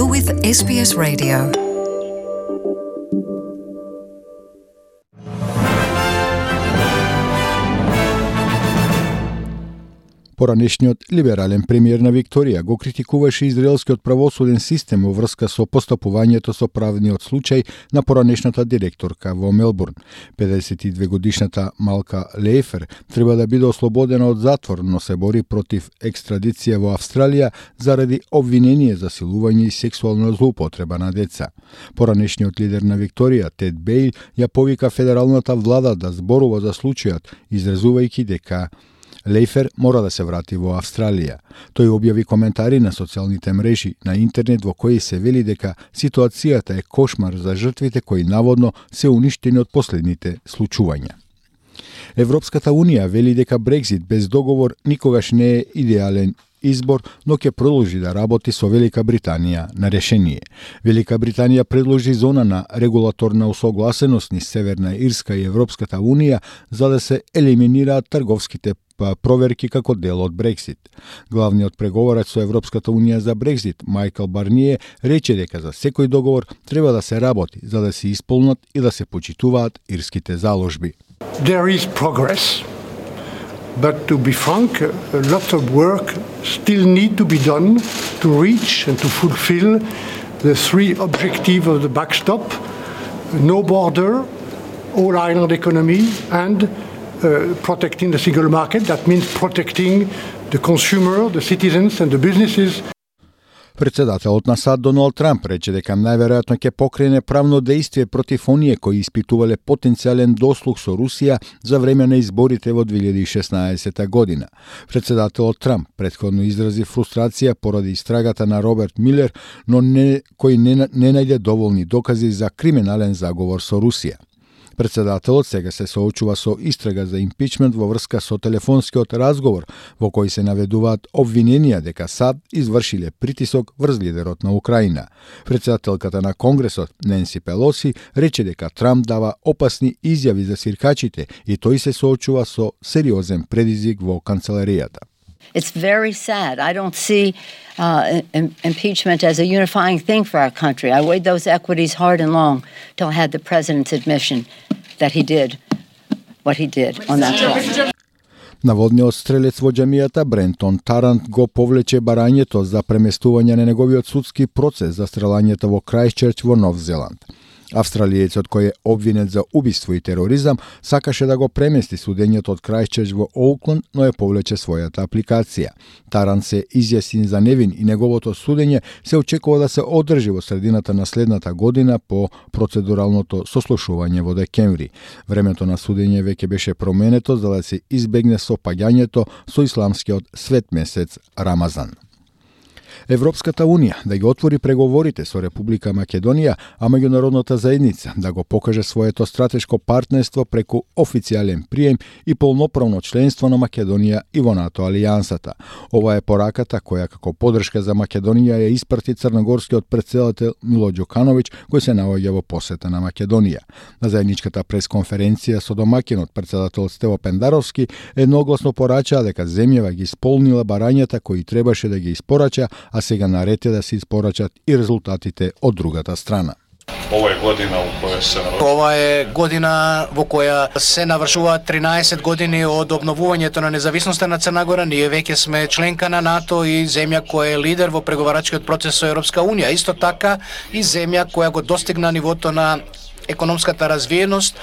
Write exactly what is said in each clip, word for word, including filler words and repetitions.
You're with S B S Radio. Поранешниот либерален премиер на Викторија го критикуваше израелскиот правосуден систем во врска со постапувањето со правниот случај на поранешната директорка во Мелбурн. педесет и две годишната Малка Лейфер треба да биде ослободена од затвор, но се бори против екстрадиција во Австралија заради обвинение за силување и сексуална злоупотреба на деца. Поранешниот лидер на Викторија, Тед Бейл, ја повика федералната влада да зборува за случајот, изразувајќи дека Лейфер мора да се врати во Австралија. Тој објави коментари на социјалните мрежи на интернет во кои се вели дека ситуацијата е кошмар за жртвите кои наводно се уништени од последните случувања. Европската Унија вели дека Брекзит без договор никогаш не е идеален избор, но ќе продолжи да работи со Велика Британија на решение. Велика Британија предложи зона на регулаторна усогласеност низ Северна Ирска и Европската Унија за да се елиминираат трговските проверки како дел од Брексит. Главниот преговорач со Европската Унија за Брекзит, Майкл Барние, рече дека за секој договор треба да се работи за да се исполнат и да се почитуваат ирските заложби. There is progress, but to be frank, a lot of work still need to be done to reach and to fulfill the three objectives of the backstop: no border, all island economy, and Uh, protecting the single market. That means protecting the consumer, the citizens and the businesses. Председателот на САД Доналд Трамп рече дека најверојатно ќе покрене правно дејствие против оние кои испитувале потенцијален дослуг со Русија за време на изборите во две илјади и шеснаесета година. Председателот Трамп претходно изрази фрустрација поради истрагата на Роберт Милер, но не, кој не, не најде доволни докази за криминален заговор со Русија. Председателот сега се соочува со истрага за импичмент во врска со телефонскиот разговор во кој се наведуваат обвиненија дека САД извршиле притисок врз лидерот на Украина. Председателката на Конгресот Ненси Пелоси рече дека Трамп дава опасни изјави за сиркачите и тој се соочува со сериозен предизвик во канцеларијата. It's very sad. I don't see uh, im- impeachment as a unifying thing for our country. I weighed those equities hard and long till I had the president's admission that he did what he did on that call. Наводниот стрелец во џамијата Брентон Тарант го повлече барањето за преместување на неговиот судски процес за стрелањето во Крајстчерч во Нов Зеланд. Австралиецот кој е обвинет за убиство и тероризам сакаше да го премести судењето од Крајстчерч во Оукланд, но ја повлече својата апликација. Тарант се изјасни за невин и неговото судење се очекува да се одржи во средината на следната година по процедуралното сослушување во декември. Времето на судење веќе беше променето за да се избегне сопаѓањето со исламскиот свет месец Рамазан. Европската Унија да ги отвори преговорите со Република Македонија, а меѓународната заедница да го покаже своето стратешко партнерство преку официјален прием и полноправно членство на Македонија и во НАТО алијансата. Ова е пораката која како поддршка за Македонија ја испрати црногорскиот претседател Мило Ѓукановиќ, кој се наоѓа во посета на Македонија. На заедничката пресконференција со домакинот претседател Стево Пендаровски едногласно порачаа дека земјава ги исполнила барањата кои требаше да ги испорача, а сега наред е да се испорачат и резултатите од другата страна. Ова е година во која се Ова е година во која се навршуваат тринаесет години од обновувањето на независноста на Црна Гора. Ние веќе сме членка на НАТО и земја која е лидер во преговарачкиот процес со Европска Унија. Исто така и земја која го достигна нивото на економската развиеност,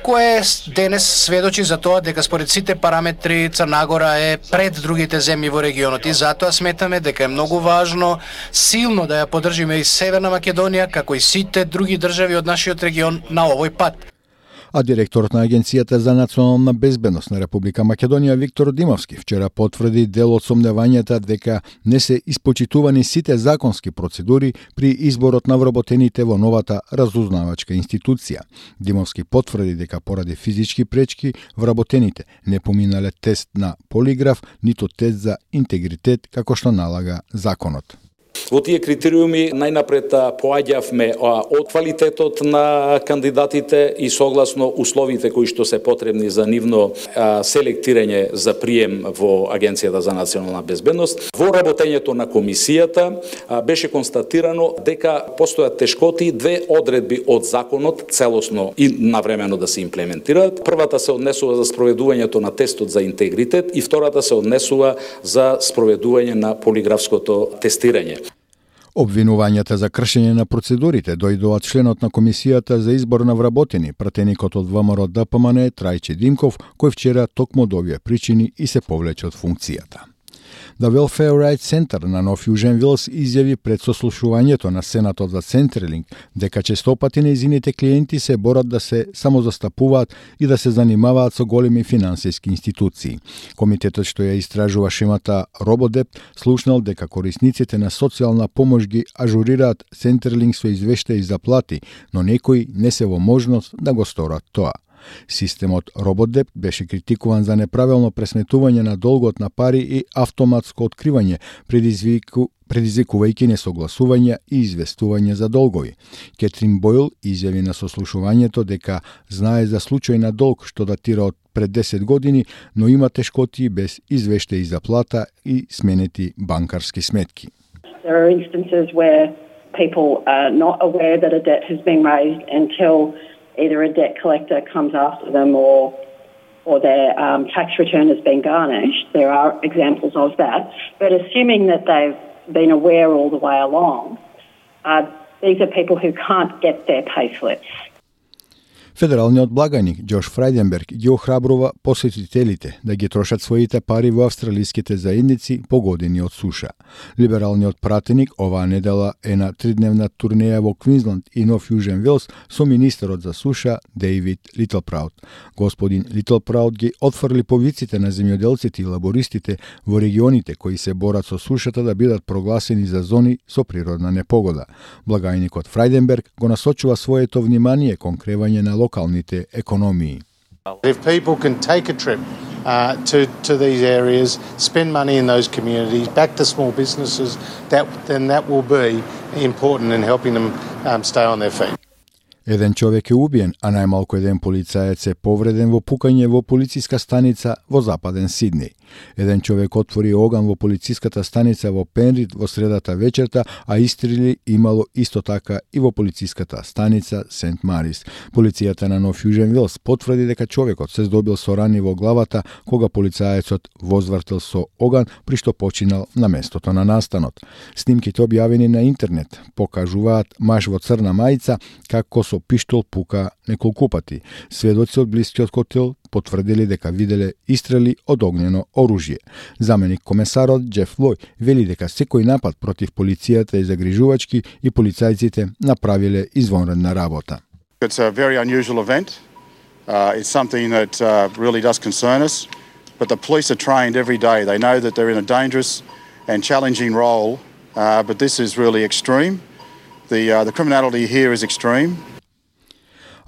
кое денес сведочи за тоа дека според сите параметри Црна Гора е пред другите земји во регионот и затоа сметаме дека е многу важно силно да ја поддржиме и Северна Македонија како и сите други држави од нашиот регион на овој пат. А директорот на Агенцијата за национална безбедност на Република Македонија Виктор Димовски вчера потврди дел од сомневањата дека не се испочитувани сите законски процедури при изборот на вработените во новата разузнавачка институција. Димовски потврди дека поради физички пречки вработените не поминале тест на полиграф, ниту тест за интегритет како што налага законот. Во тие критериуми најнапред поаѓавме од квалитетот на кандидатите и согласно условите кои што се потребни за нивно селектирање за прием во Агенцијата за национална безбедност. Во работењето на комисијата беше констатирано дека постојат тешкоти две одредби од законот целосно и навремено да се имплементираат. Првата се однесува за спроведувањето на тестот за интегритет и втората се однесува за спроведување на полиграфското тестирање. Обвинувањата за кршење на процедурите дојдоа од членот на комисијата за избор на вработени, пратеникот од ВМРО Д П М Н Трајче Димков, кој вчера токму од овие причини и се повлече од функцијата. The Welfare Rights Center на Нов Јужен Вилс изјави пред сослушувањето на Сенатот за Центрелинг дека честопати нејзините клиенти се борат да се самозастапуваат и да се занимаваат со големи финансиски институции. Комитетот што ја истражува шемата Рободеп слушнал дека корисниците на социјална помош ги ажурираат Центрелинг со извештаи за плати, но некои не се во можност да го сторат тоа. Системот Рободеп беше критикуван за неправилно пресметување на долгот на пари и автоматско откривање, предизвику, предизвикувајќи несогласување и известување за долгови. Кетрин Бойл изјави на сослушувањето дека знае за случај на долг што датира од пред десет години, но има тешкоти без извештаи за плата и сменети банкарски сметки. There are instances where people are not aware that a debt has been raised until either a debt collector comes after them or or their um, tax return has been garnished. There are examples of that. But assuming that they've been aware all the way along, uh, these are people who can't get their payslips. Федералниот благајник Џош Фрајденберг ги охрабрува посетителите да ги трошат своите пари во австралиските заедници погодени од суша. Либералниот пратеник оваа недела е на тридневна турнеја во Квинсленд и Нов Јужен Велс со министерот за суша Дејвид Литлпраут. Господин Литлпраут ги отфрли повиците на земјоделците и лабористите во регионите кои се борат со сушата да бидат прогласени за зони со природна непогода. Благајникот Фрајденберг го насочува своето внимание кон кревање на локалните економии. If people can take a trip uh, to to these areas, spend money in those communities, back to small businesses, that then that will be important in helping them um, stay on their feet. Еден човек е убиен, а најмалку еден полицаец е повреден во пукање во полициска станица во западен Сиднеј. Еден човек отвори оган во полициската станица во Пенрид во средата вечерта, а истрели имало исто така и во полициската станица Сент Марис. Полицијата на Нов Јужен Вилс потврди дека човекот се здобил со рани во главата кога полицаецот возвртел со оган, при што починал на местото на настанот. Снимките објавени на интернет покажуваат маж во црна мајца како со пиштол пука неколку пати. Сведоци од блискиот хотел потврдили дека виделе истрели од огнено оружје. Заменик комесарот Џеф Лој вели дека секој напад против полицијата е загрижувачки и полицајците направиле извонредна работа. It's a very unusual event. Uh, it's something that uh, really does concern us. But the police are trained every day. They know that they're in a dangerous and challenging role. Uh, but this is really extreme. The uh, the criminality here is extreme.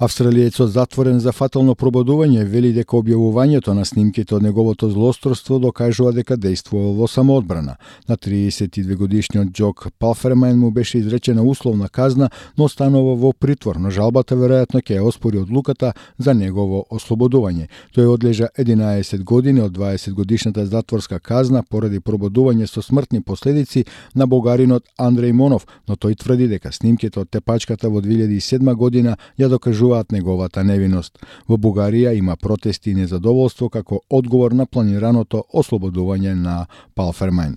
Австралиецот затворен за фатално пробудување вели дека објавувањето на снимките од неговото злосторство докажува дека действувал во самоодбрана. На триесет и две годишниот Џок Палфермајн му беше изречена условна казна, но останува во притвор, но жалбата веројатно ќе ја оспори одлуката за негово ослободување. Тој одлежа единаесет години од дваесет годишната затворска казна поради пробудување со смртни последици на бугаринот Андреј Монов, но тој тврди дека снимките од тепачката во две илјади и седма година ја докажуваат неговата невиност. Во Бугарија има протести и незадоволство како одговор на планираното ослободување на Палфермајн.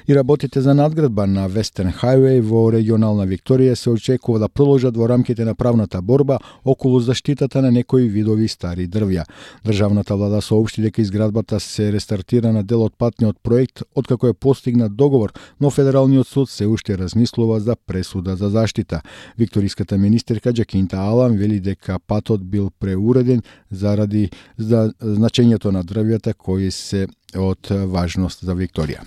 И работите за надградба на Western Highway во регионална Викторија се очекува да продолжат во рамките на правната борба околу заштитата на некои видови стари дрвја. Државната влада соопшти дека изградбата се рестартира на дел од патниот проект откако е постигнат договор, но Федералниот суд се уште размислува за пресуда за заштита. Викториската министерка Џакинта Алан вели дека патот бил преуреден заради за значењето на дрвјата кои се од важност за Викторија.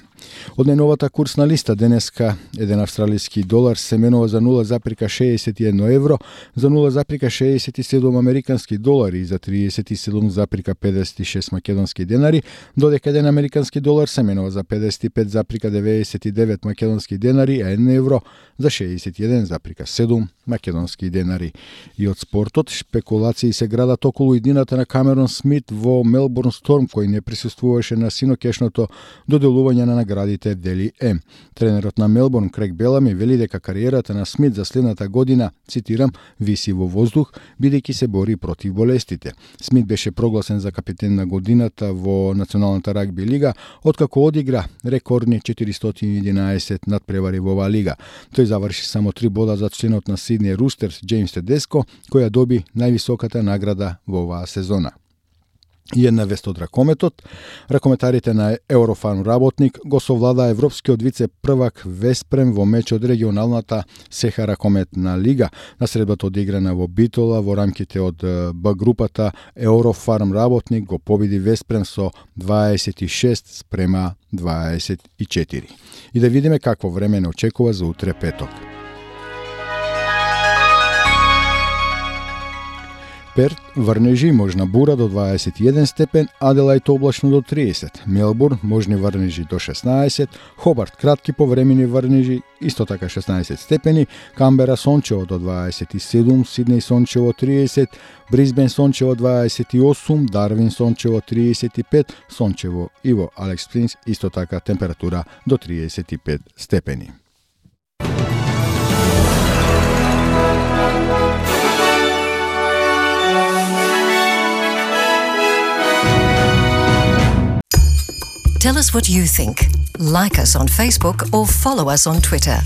Од најновата курсна листа денеска еден австралиски долар се менува за нула запирка шеесет и едно евро, за нула запирка шеесет и седум американски долари и за триесет и седум запирка педесет и шест македонски денари, додека еден американски долар се менува за педесет и пет запирка деветдесет и девет македонски денари, а еден евро за шеесет и еден запирка седум македонски денари. И од спортот, шпекулации се градат околу иднината на Камерон Смит во Мелбурн Сторм, кој не присуствуваше на синокешното доделување на наградите Дели М. Тренерот на Мелбурн, Крейг Белами, вели дека кариерата на Смит за следната година, цитирам, виси во воздух, бидејќи се бори против болестите. Смит беше прогласен за капитен на годината во Националната рагби лига, откако одигра рекордни четиристотини и единаесет надпревари во оваа лига. Тој заврши само три бода за членот на Сидни Рустерс Джеймс Тедеско, која доби највисоката награда во оваа сезона. И една вест од ракометот. Ракометарите на Еврофарм работник го совлада европскиот вице-првак Веспрем во меч од регионалната Сеха ракометна лига. Насредбата одиграна во Битола во рамките од Б групата Еврофарм работник го победи Веспрем со дваесет и шест спрема дваесет и четири. И да видиме какво време не очекува за утре петок. Перт, врнежи, можна бура до дваесет и еден степен, Аделајд облачно до триесет, Мелбурн, можни врнежи до шеснаесет, Хобарт, кратки повремени врнежи, исто така шеснаесет степени, Камбера сончево до дваесет и седум, Сиднеј сончево триесет, Брисбен сончево дваесет и осум, Дарвин сончево триесет и пет, сончево и во Алекс Спрингс исто така температура до триесет и пет степени. Tell us what you think. Like us on Facebook or follow us on Twitter.